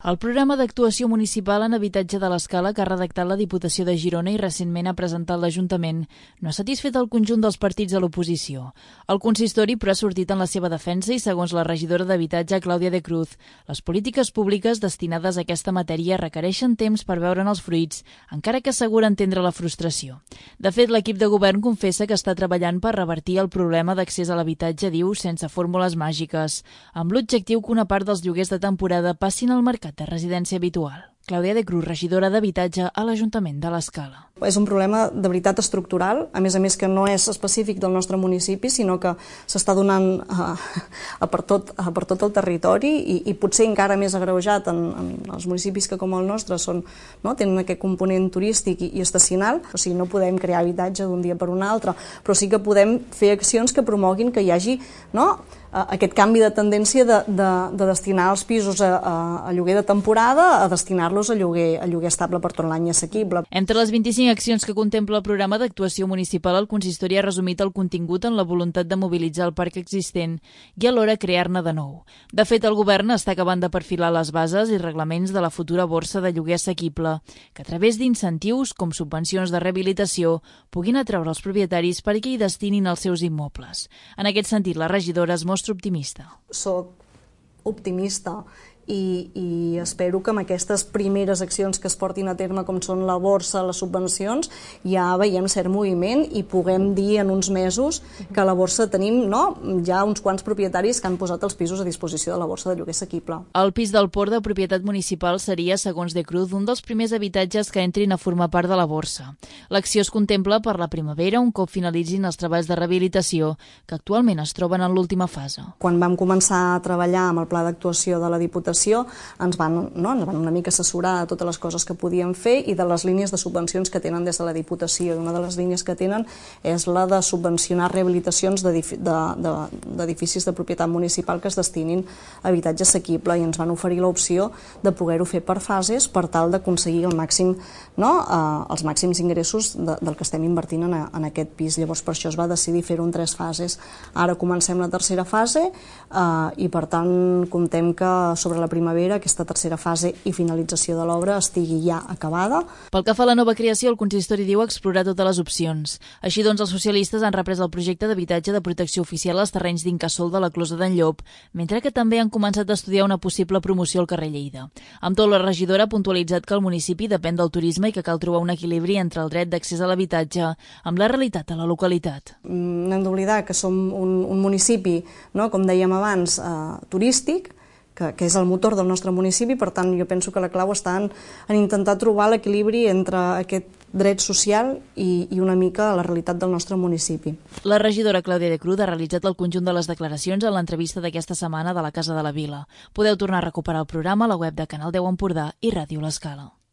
El programa d'actuació municipal en habitatge de l'Escala que ha redactat la Diputació de Girona i recentment ha presentat l'Ajuntament no ha satisfet el conjunt dels partits de l'oposició. El consistori, però, ha sortit en la seva defensa i, segons la regidora d'Habitatge, Clàudia de Cruz, les polítiques públiques destinades a aquesta matèria requereixen temps per veure'n els fruits, encara que assegura entendre la frustració. De fet, l'equip de govern confessa que està treballant per revertir el problema d'accés a l'habitatge, diu, sense fórmules màgiques, amb l'objectiu que una part dels lloguers de temporada passin al mercat de residència habitual. Clàudia de Cruz, regidora d'Habitatge a l'Ajuntament de l'Escala. És un problema de veritat estructural, a més que no és específic del nostre municipi, sinó que s'està donant per tot el territori i potser encara més agreujat en els municipis que com el nostre tenen aquest component turístic i estacional. O sigui, no podem crear habitatge d'un dia per un altre, però sí que podem fer accions que promoguin que hi hagi aquest canvi de tendència de destinar els pisos a lloguer de temporada a destinar-los a lloguer estable per tot l'any assequible. Entre les 25 accions que contempla el programa d'actuació municipal, el consistori ha resumit el contingut en la voluntat de mobilitzar el parc existent i alhora crear-ne de nou. De fet, el govern està acabant de perfilar les bases i reglaments de la futura borsa de lloguer assequible, que a través d'incentius, com subvencions de rehabilitació, puguin atreure els propietaris perquè hi destinin els seus immobles. En aquest sentit, la regidora es mostra optimista. Soc optimista i espero que amb aquestes primeres accions que es portin a terme, com són la borsa, les subvencions, ja veiem cert moviment i puguem dir en uns mesos que a la borsa tenim ja uns quants propietaris que han posat els pisos a disposició de la borsa de lloguer assequible. El pis del Port de propietat municipal seria, segons de Cruz, un dels primers habitatges que entrin a formar part de la borsa. L'acció es contempla per la primavera, un cop finalitzin els treballs de rehabilitació, que actualment es troben en l'última fase. Quan vam començar a treballar amb el pla d'actuació de la Diputació, ens van una mica assessorar de totes les coses que podíem fer i de les línies de subvencions que tenen des de la Diputació. Una de les línies que tenen és la de subvencionar rehabilitacions d'edificis de propietat municipal que es destinin a habitatge assequible i ens van oferir l'opció de poder-ho fer per fases per tal d'aconseguir els màxims ingressos del que estem invertint en aquest pis. Llavors per això es va decidir fer-ho en 3 fases. Ara comencem la tercera fase i per tant comptem que sobre la primavera aquesta tercera fase i finalització de l'obra estigui ja acabada. Pel que fa a la nova creació, el consistori diu explorar totes les opcions. Així doncs, els socialistes han reprès el projecte d'habitatge de protecció oficial als terrenys d'Incasòl de la Closa d'en Llop, mentre que també han començat a estudiar una possible promoció al carrer Lleida. Amb tot, la regidora ha puntualitzat que el municipi depèn del turisme i que cal trobar un equilibri entre el dret d'accés a l'habitatge amb la realitat de la localitat. No hem d'oblidar que som un municipi, com dèiem abans, turístic, que és el motor del nostre municipi, per tant jo penso que la clau està en intentar trobar l'equilibri entre aquest dret social i una mica la realitat del nostre municipi. La regidora Clàudia de Cruz ha realitzat el conjunt de les declaracions en l'entrevista d'aquesta setmana de la Casa de la Vila. Podeu tornar a recuperar el programa a la web de Canal 10 Empordà i Ràdio L'Escala.